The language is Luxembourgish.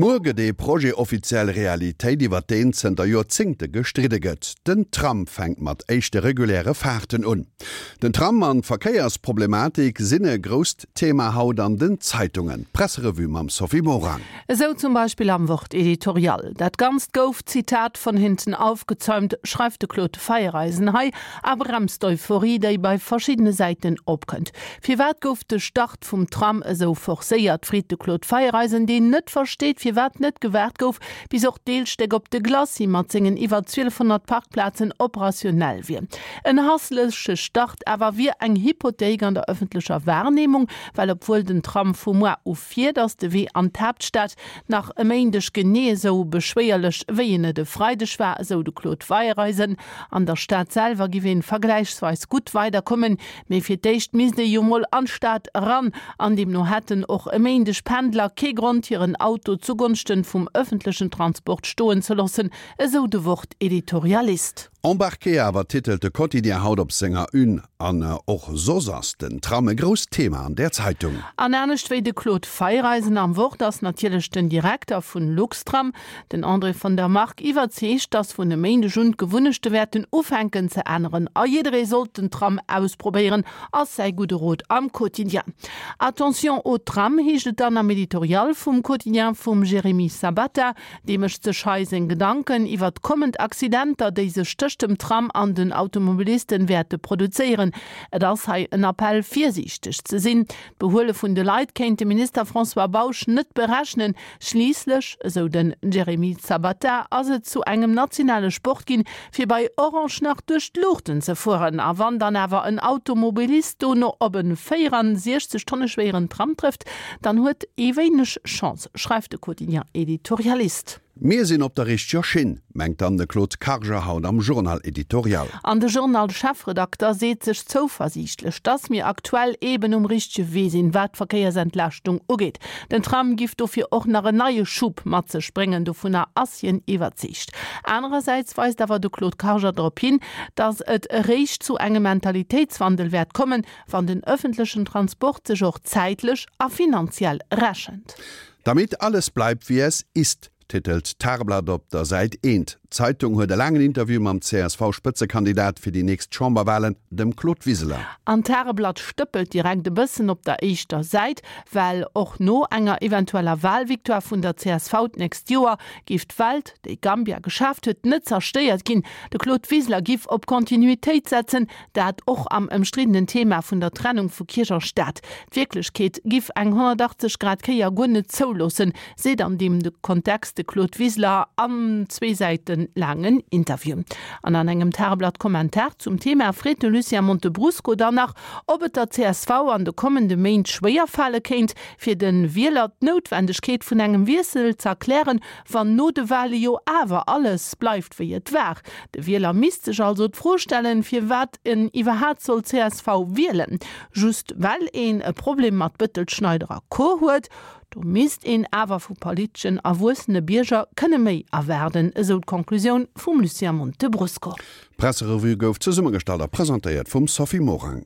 Muer gëtt ee Projet offiziell Realitéit, iwwer deen zënter Joerzéngte gestridde gëtt. Den Tram fänkt mat éischte reguläre Faarten un. Den Tram an d'Verkéiersproblematik sinn e grousst Thema haut an den Zeitungen. D'Presserevue mam Sophie Morang. Esou zum Beispill am Wort-Editorial. Dat Ganzt gouf, Zitat, von hinten aufgezäumt, schreift de Claude Feiereisen hei a bremst d'Euphorie, déi bei verschiddene Säiten opkënnt. Firwat gouf de Start vum Tram esou forcéiert, freet de Claude Feiereisen, deen net versteet, firwat net gewaart gouf, bis och d'Deelstéck op de Glacis mat sengen iwwer 1200 Parkplazen operationell wier. En hassleche Start awer wier eng Hypothéik an der ëffentlecher Wahrnehmung, well obwuel den Tram vu muar u fiert, ass de Wee an d'Haaptstad nach e Méindeg genee esou beschwéierlech, wéi en et e Freideg war, esou de Claude Feiereisen. An der Stad selwer giff een vergläichsweis gutt weiderkommen, mee fir d'éischt misst ee jo mol an d'Stad eran an deemno hätten och e Méindeg Pendler kee Grond hiren Auto zugonschten vum ëffentlechen Transport stoen ze loossen, esou de Wort-Editorialist. Embarqué awer titelt de Quotidien haut op senger Une. An och soss ass den Tram e grousst Thema an där Zeitung. An anescht wéi de Claude Feiereisen am Wort ass natierlech den Direkter vun Luxtram, Den André von der Marck iwwerzeegt, datt vun e Méindeg un d'Gewunnechte wäerten ufänken ze änneren a jidderee sollt den Tram ausprobéieren, ass säi gudde Rot am Quotidien. Attention au tram heescht et dann am Editorial vum Quotidien vum Jérémy Sabatta. Dee mécht sech hei seng Gedanken iwwert kommend Accidenter, déi sech tëscht dem Tram an den Automobilisten wäerte produzéieren. Et ass hei en Appell virsiichteg ze sinn. D'Behuele vun de Leit kéint de Minister François Bausch net berechnen. Schliisslech, esou den Jeremy Zapata, ass et zu engem nationale Sport ginn, fir bei Orange nach duerch d'Luuchten ze fueren. A wann dann awer en Automobilist dono op e 64 Tonne schwéieren Tram trëfft, dann huet ee wéineg Chance, schreift de Quotidien-Editorialist. Mir sinn op der richteger Schinn, mengt dann de Claude Karger haut am Journal Editorial. An de Journal-Chefredakter seet sech zouversiichtlech, dass mir aktuell eben um richtege Wee sinn, wat d'Verkéiersentlaaschtung ugeet. Den Tram giff dofir och nach en neie Schub mat sech bréngen, dovunner ass hien iwwerzeegt. Anerersäits weist awer de Claude Karger drop hin, dass et eréischt zu engem Mentalitéitswandel wäert kommen, wann den ëffentlechen Transport sech och zäitlech a finanziell rechent. Damit alles bleibt wie es ist, titelt d'Tageblatt op der Säit eent. D'Zeitung huet e laangen Interview mam CSV-Spëtzekandidat fir déi nächst Chamberwalen, dem Claude Wiseler. An d'Tageblatt stëppelt direkt e bëssen op der éischter Säit, well och no enger eventueller Walvictoire vun der csv d'nächst Joer géif d'Welt, déi Gambia geschaaft huet, net zerstéiert ginn. De Claude Wiseler giff op Kontinuitéit setzen, Dat och am ëmstriddenen Thema vun der Trennung vu Kierch a Staat. D'Wierklechkeet giff eng 180 Grad Kéier guer net zouloossen, seet an deem Kontext de Claude Wiseler am zwee Säite laangen Interview. An an engem Tageblatt-Kommentar zum Thema freet de Lucien Montebrusco dann nach, ob et der csv an de kommende Méint schwéier fale kéint, fir de Wieler d'Noutwendegkeet vun engem Wiessel z'erklären, wann no de Wale jo awer alles bleift wéi et war. De Wieler misst sech also d'Fro stellen, firwat en iwwerhaat soll csv wielen. Just well een e Problem mat Bëttel, Schneider a Co huet? Do misst een awer vu politeschen erwuessene Bierger kënne méi erwaarden, esou d'Conclusioun vum Lucien Montebrusco. D'Presserevue gouf zesummegestallt a presentéiert vum Sophie Morang.